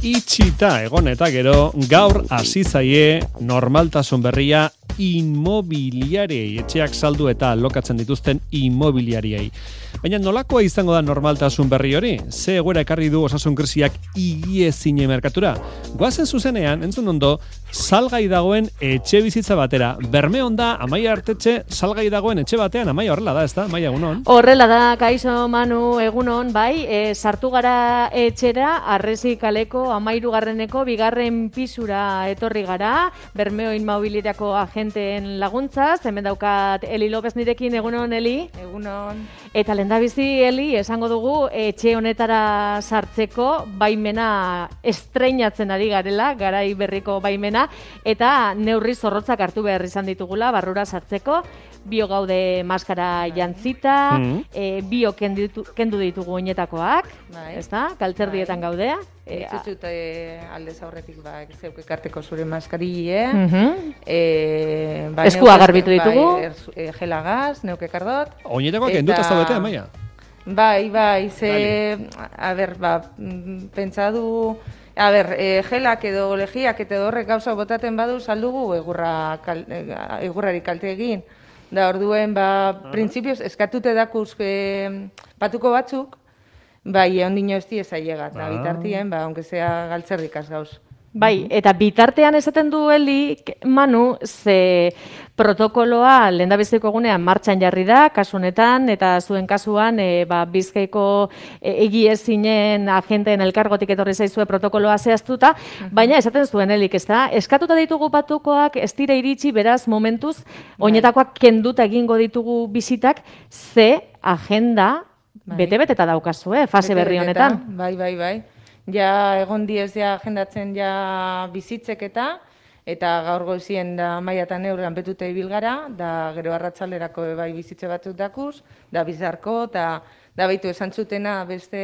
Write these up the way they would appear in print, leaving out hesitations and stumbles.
Itxita egon eta gero, gaur hasi zaie normaltasun berria inmobiliariei, etxeak saldu eta alokatzen dituzten inmobiliariei. Baina nolakoa izango da normaltasun berri hori? Ze egoera ekarri du osasun krisiak higiezine merkatura? Goazen zuzenean, entzun ondo, salgai dagoen etxe bizitza batera. Bermeon da, Amaia Artetxe, salgai dagoen etxe batean, Amaia horrela da, ez da? Amaia, egunon? Horrela da, kaixo Manu, egunon, bai, sartu gara etxera, Arresi kaleko 13garreneko 2. pisura etorri gara, Bermeo Inmobiliariako agenteen laguntzaz, hemen daukat Eli López nirekin, egunon, Eli? Egunon. Eta lehendabizi, Eli, esango dugu, etxe honetara sartzeko baimena estreinatzen ari garela, garai berriko baimena, eta neurri zorrotzak hartu behar izan ditugula, barrura sartzeko, bio gaude maskara jantzita, bio kendu ditugu oinetakoak, ezta? Galtzerdietan gaudea. Dituzut aldez aurretik zeuk ekarteko zure maskarie, eskua garbitu ditugu, gelagaz, neuk ekardot. Oinetakoak kenduta zaudete, Amaia? Bai, ze, pentsadu, gelak edo legiak eta horrek gauza botaten badu saldugu egurrari kalte egin. Da orduen, printzipioz, eskatute dakuz patuko batzuk, bai, ondino ez dieza llegat, da bitartien, aunque sea galtzerdikaz gauz. Bai, eta bitartean esaten du Eli, Manu, ze protokoloa lehendabiziko egunean martxan jarri da, kasu honetan, eta zuen kasuan, Bizkaiko egiezinen agenteen elkargotik etorri zaizue protokoloa zehaztuta, baina esaten zuen Elik, ez da, eskatuta ditugu patukoak, ez dira iritsi, beraz, momentuz, oinetakoak kenduta egingo ditugu bizitak, ze agenda bete-beteta daukazue, fase berri honetan. Bai. Ja, egon diez ja agendatzen ja bizitzek eta gaur goizien da maiatan neurrean betute ibil gara, da gero arratsalderako bai bizitze batzuk dakuz, da bizarko, eta da baitu esan zutena beste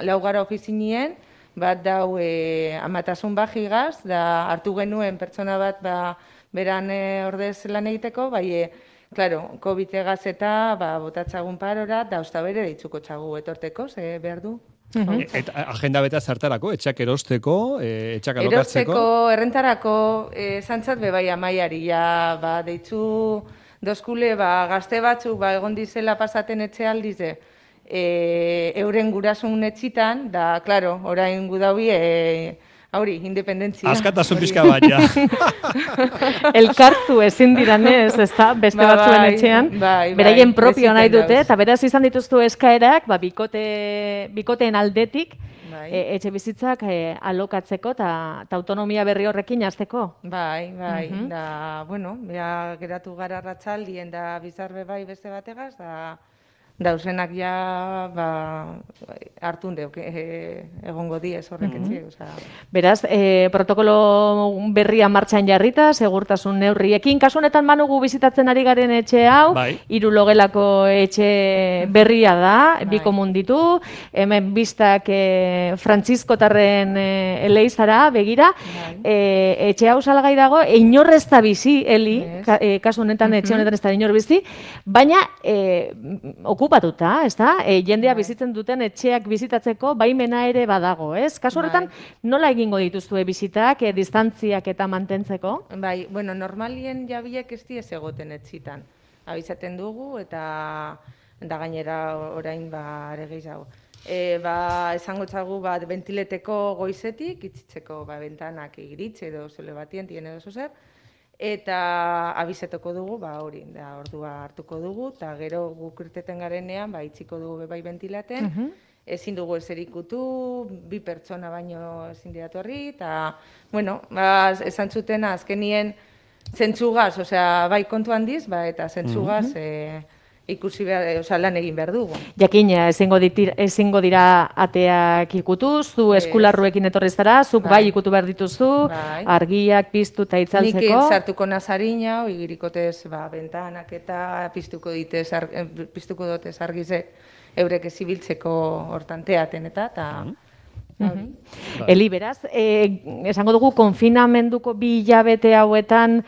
laugara ofizinien, bat dau amatasun bajigaz, da hartu genuen pertsona bat beran ordez lan egiteko, bai, claro, COVID-egaz eta botatzagun parora, da ostabere ditzuko txagu etorteko, ze behar du. Eta agenda beta zertarako, etxak erosteko, etxak alokatzeko? Erosteko, errentarako, zantzat bebai Amaiari, deitzu dozkule, gazte batzuk, egon dizela pasaten etxe aldize, euren gurasun etxitan, da, klaro, orain gudaui, hauri, independentzia. Askatasun pixka bat, ja. Elkartu ezin diranez, ez da, beste batzuen etxean. Beraien propio nahi dute, eta beraz izan dituztu eskaerak, bikoteen aldetik, etxe bizitzak alokatzeko eta autonomia berri horrekin hasteko. Bai, da, bueno, geratu gara arratsaldien da bizarbe bai beste bategaz, da dausenak ja hartun deuk egongo diez horrek etxe. Beraz, protokolo berria martxan jarrita, segurtasun neurriekin. Kasu honetan Manugu bizitatzen ari garen etxe hau, 3 logelako etxe berria da, 2 komun ditu, hemen biztak Frantziskotarren eleizara begira, etxe hau salgai dago, inorrez da bizi, Eli, kasu honetan etxe honetan ez da inor bizi, baina okupatuta, ez da? Jendea bizitzen duten etxeak bizitatzeko baimena ere badago, ez? Kasu horretan, nola egingo dituzue bizitak, distantziak eta mantentzeko? Bai, bueno, normalien jabiek ez diez egoten etxitan. Abizaten dugu eta gainera orain are gehiago. Esango txagu ventileteko goizetik, itzitzeko bentanak iritze edo zele batien, tien edo zer, eta abizetoko dugu, hori, ordua hartuko dugu, eta gero guk irteten garenean, itxiko dugu bai ventilaten, ezin dugu ezer ikutu, 2 pertsona baino ezin diatorri, eta, bueno, esan zutena azkenien zentzugaz, osea, bai kontu handiz, eta zentzugaz ikusi lan egin behar dugu. Jakina, ezingo dira ateak ikutuz, zu eskularruekin etorri zara, zuk bai ikutu behar dituzu, argiak piztu eta itzaltzeko. Nik sartuko nazarina, igirikotez bentanak eta piztuko dotez argizek eurek ezibiltzeko hortan teaten eta Eli, beraz, esango dugu konfinamenduko 2 hilabete hauetan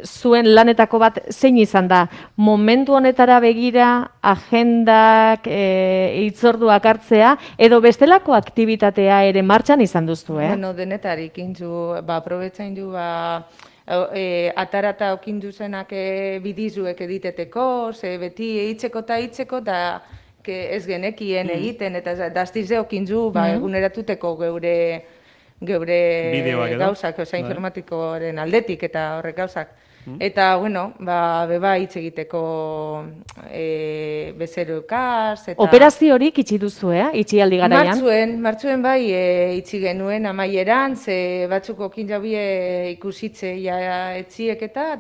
zuen lanetako bat zein izan da? Momentu honetara begira, agendak, hitzorduak hartzea, edo bestelako aktibitatea ere martxan izan duzu, Bueno, denetarik intzu, aprobetzain du, atarata okindu zenak bidizuek editeteko, ze beti hitzeko eta ez genekien egiten, eta daztize okintzu eguneratuteko geure gauzak, informatikoaren aldetik eta horrek gauzak. Eta, bueno, beba hitz egiteko bezeroekaz. Operazio horik itxi duzu, itxi aldi garaian? Martzuen bai itxi genuen amaieran, ze batzuk okin jaubie ikusitze etziek eta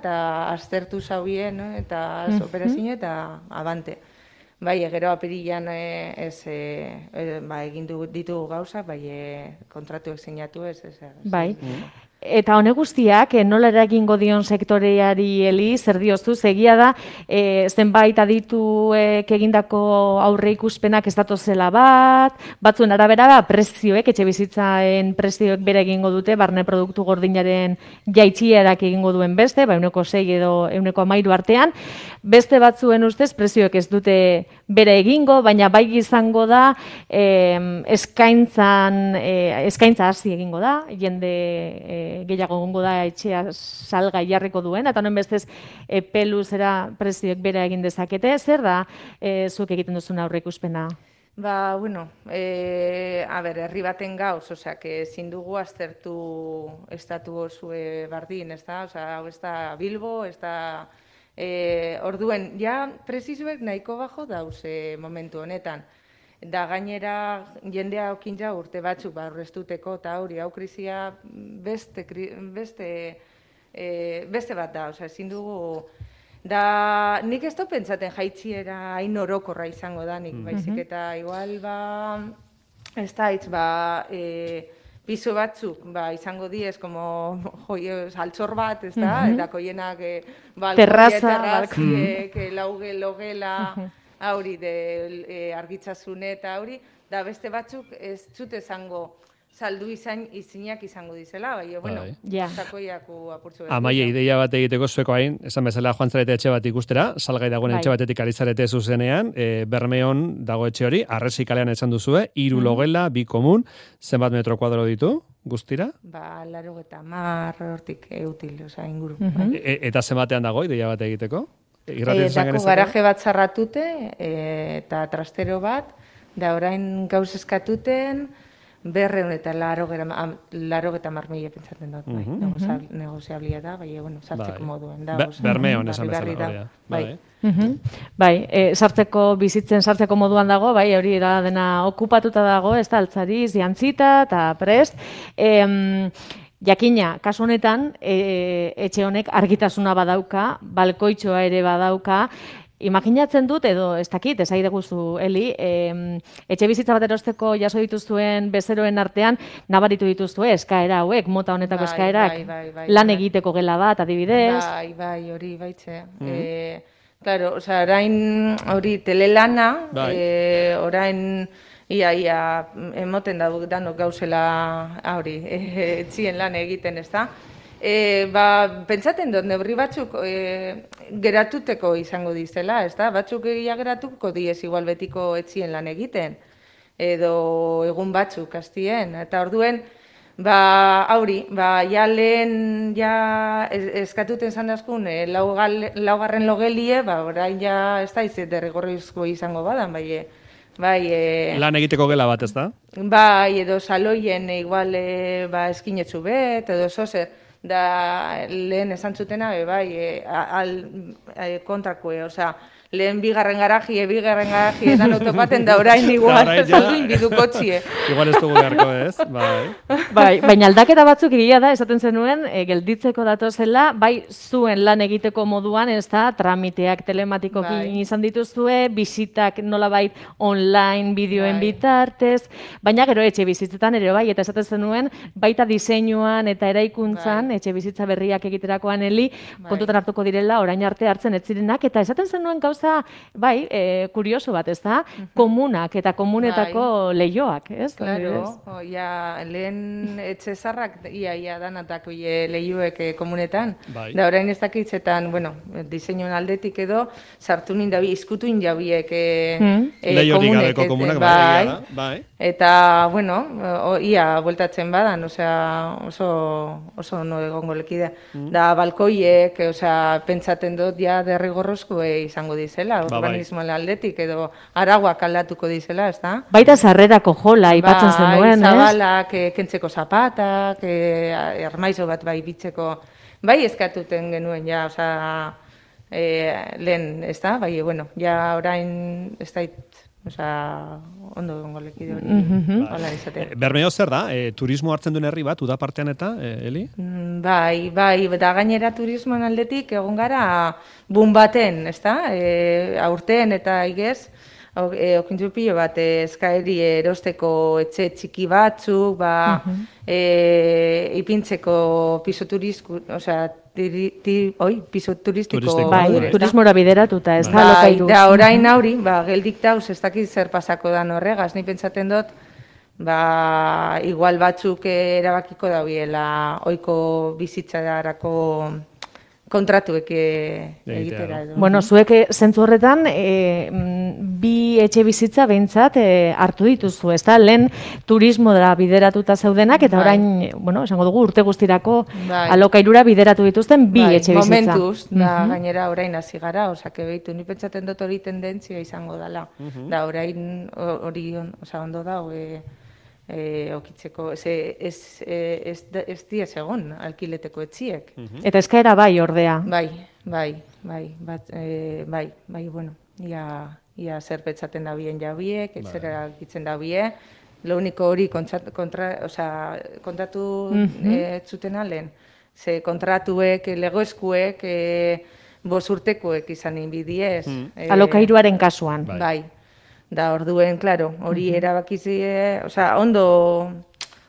aztertu zaubien, eta operazio eta abante. Bai, gero apirilan egin ditugu gauzak, bai, kontratuek sinatu ez. Bai. Eta honek guztiak, nola eragingo dion sektoreari Eli, zer dioztu, egia da, zenbait adituek egindako aurre ikuspenak ez datozela batzuen arabera, prezioek, etxe bizitzaen prezioek bere egingo dute, barne produktu gordinaren jaitsierak egingo duen beste, 6 edo 13 artean, beste batzuen ustez, prezioek ez dute bere egingo, baina bai izango da, eskaintza hasi egingo da, jende gehiago gongo da etxea salgai jarriko duen, eta honen bestez peluzera prezioek bera egin dezakete, zer da zuek egiten duzun aurre ikuspena? Bueno, herri baten gauz, ezin dugu aztertu estatu osue bardin, ez da? Hau ez da Bilbo, ez da... Orduen, ja, prezizuek nahiko bajo dauz momentu honetan. Da gainera jendea okintza urte batzuk aurreztuteko eta hau krizia beste bat da, ezin dugu. Da nik ez dut pentsaten jaitziera hain orokorra izango da nik, baizik eta igual ez da hitz piso batzuk izango diez como saltzor bat, ez da, eta koienak terraziek, logela, hauri argitzazune eta hauri, da beste batzuk ez zute zango saldu izinak izango dizela, bai, bueno, zakoiaku apurtzu. Amaia, ideia bat egiteko zueko hain, esan bezala joan zarete etxe bat ikustera, salgai dagoen etxe batetik ari zarete zuzenean, Bermeon dago etxe hori, Arresi kalean esan duzue, 3 logela, 2 komun, zenbat metro kuadro ditu, guztira? 80 hortik eutil, inguru. Eta zenbatean dago, ideia bat egiteko? Dako garaje bat zarratute, eta trastero bat, da orain gauz eskatuten, 280 marmila pentsatzen dut, negoziablia da, bai, sartzeko moduen. Bermeon esan bezala. Bai, bizitzen sartzeko moduan dago, bai, hori da dena okupatuta dago, ez da, altzariz, jantzita eta prest. Jakina, kasu honetan, etxe honek argitasuna badauka, balkoitxoa ere badauka, imaginatzen dut, edo ez dakit, ez aide guztu, Eli, etxe bizitza bat erosteko jaso dituzuen bezeroen artean, nabaritu dituzue eskaera hauek, mota honetako eskaerak, lan egiteko gela bat, adibidez. Bai, hori baitze. Claro, orain hori telelana, orain ia emoten danok gauzela hori, etxien lan egiten, ez da? Pentsaten dut, neurri batzuk geratuteko izango dizela, ez da? Batzuk geratuko diez igual betiko etxien lan egiten, edo egun batzuk hastien, eta orduen, hauri, lehen eskatuten zandazkun laugarren logelie, orain ez da izet derrigorrizko izango badan, lan egiteko gela bat, ez da? Bai, edo saloien igual eskinetzu bet, edo zozer, da lehen esan zutena, kontrakue, lehen bigarren garaji edan autopaten da orain igual, salduin bidukotzie. Igual ez dugu beharko, ez? Bai, baina aldaketa batzuk egia da, esaten zenuen, gelditzeko datozela, bai zuen lan egiteko moduan, ez da, tramiteak telematikokin izan dituzue, bisitak nolabait online bideoen bitartez, baina gero etxe bizitzetan ere bai, eta esaten zenuen, baita diseinuan eta eraikuntzan, etxe bizitza berriak egiterakoan Eli, kontutan hartuko direla, orain arte hartzen ez zirenak, eta esaten zenuen gauza, bai, kurioso bat, ez da, komunak eta komunetako lehioak, ez? Claro, lehen etxe zarrak, ia danatako lehioek komunetan, da orain ez dakitzetan, bueno, diseinuen aldetik edo, sartu nindabi, izkutu indabiek lehiorik gabeko komunak, bai. Eta, bueno, ia bueltatzen badan, oso no egongo lekidea. Da, balkoiek, pentsaten dut, ja, derrigorrozko izango dizela, urbanismoan aldetik, edo araguak aldatuko dizela, ez da? Baita sarrerako jola, ipatzen zenuen, ez? Zabalak, kentzeko zapatak, armaizo bat bai bitzeko, bai eskatuten genuen, ja, lehen, ez da? Bai, bueno, ja orain, ez da, ondo gongo lekide hori, hola izatea. Bermeo zer da? Turismo hartzen duen herri bat, uda partean eta, Eli? Bai, da gainera turismoan aldetik egon gara bun baten, ez da? Aurten eta igez, okintzu pilo bat eskaeri erosteko etxe txiki batzuk, ipintzeko piso turizko, piso turistiko. Bai, turismora bideratuta, ez da, lokairu. Da, orain hauri, geldik dauz, ez dakit zer pasako da horregaz, ni pentsaten dut, igual batzuk erabakiko daubiela oiko bizitzadarako kontratuek egitera edo. Bueno, zuek zentzu horretan, bi etxe bizitza behintzat hartu dituzu, ez da? Lehen turismora bideratuta zeudenak, eta orain, bueno, esango dugu, urte guztirako alokairura bideratu dituzten bi etxe bizitza. Momentuz, da gainera orain hasi gara, osake behitu, ni pentsaten dut hori tendentzia izango dela. Da orain hori ondo da, okitzeko, ez diez egon alkileteko etxiek. Eta eskaera bai, ordea. Bai, bueno, ia zer petzaten da bien jabiek, etzera gitzen da bie, lo único hori kontatu zuten alen, ze kontratuek, legoeskuek, 5 urtekoek izan inbidiez. Alokairuaren kasuan. Bai. Da, orduen, klaro, hori erabakizie, ondo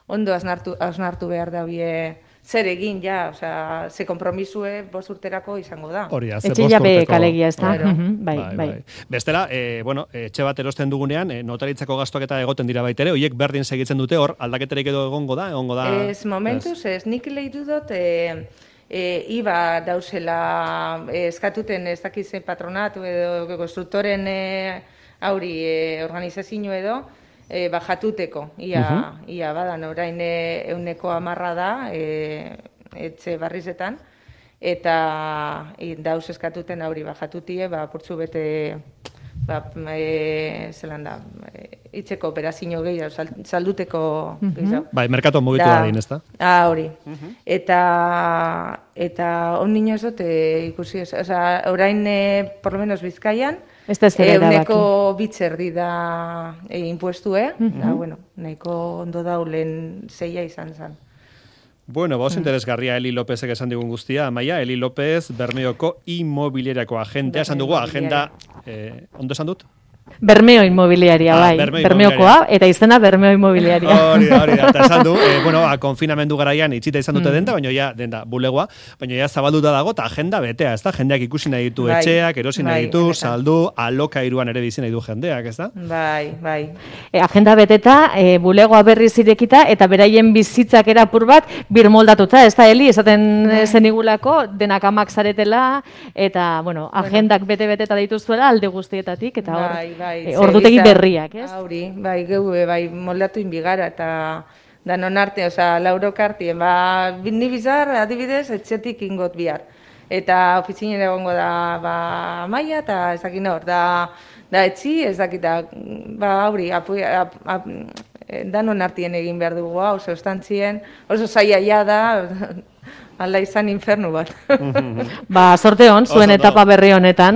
hausnartu behar da zer egin, ja, ze kompromisue 5 urterako izango da. Hori da, etxe jabe kalegia, ez da? Bai. Bestela, etxe bat erosten dugunean, notaritzako gastuak eta egoten dira baitere, horiek berdin segitzen dute hor, aldaketerik edo egongo da? Ez, momentuz, ez, nik lehitu dut, iba dauzela eskatuten ez dakizen patronatu edo konstruktoren organizazio edo, bajatuteko, ia badan, orain 110% da, etxe barrizetan, eta dauz eskatuten auri bajatutie, purtsu bete, zelan da, itzeko operazio gehiago, salduteko gehiago. Bai, merkatuan mugitu da din, ez da? Hori. Eta on nino ez dut ikusi, orain, por lo menos Bizkaian, euneko bitzerdi da impuestue, da, bueno, nahiko ondo daulen 6 izan zen. Bueno, interesgarria Eli Lópezek esan digun guztia, Amaia, Eli López, Bermeoko inmobiliariako agentea, esan dugu, agenda, ondo esan dut? Bermeo Inmobiliaria, bai. Bermeokoa, eta izena Bermeo Inmobiliaria. Hori da, eta esan du, konfinamendu garaian itxita izan dute denda, baina ja, denda bulegoa, baina ja zabalduta dago, eta agenda betea, ez da? Jendeak ikusi nahi ditu etxeak, erosi nahi ditu, saldu, alokairuan ere bizi nahi du jendeak, ez da? Bai. Agenda beteta, bulegoa berriz irekita, eta beraien bizitzak erapur bat, birmoldatuta, ez da, Eli, esaten zenigulako, denak amak zaretela, eta, bueno, agendak bete-beteta dituzuela alde guztietatik, eta hor, ordutegi berriak, ez? Hori, bai, moldatu inbigara, eta danon arte, Lauro Kartien, ni bizar, adibidez, etxetik ingot bihar. Eta ofizinen egongo da, Amaia, eta ezakin hor, da etxi, ezakita, hori, danon artien egin behar dugu, oso estantzien, oso zaiaia da, alda izan infernu bat. Sorte hon, zuen etapa berri honetan.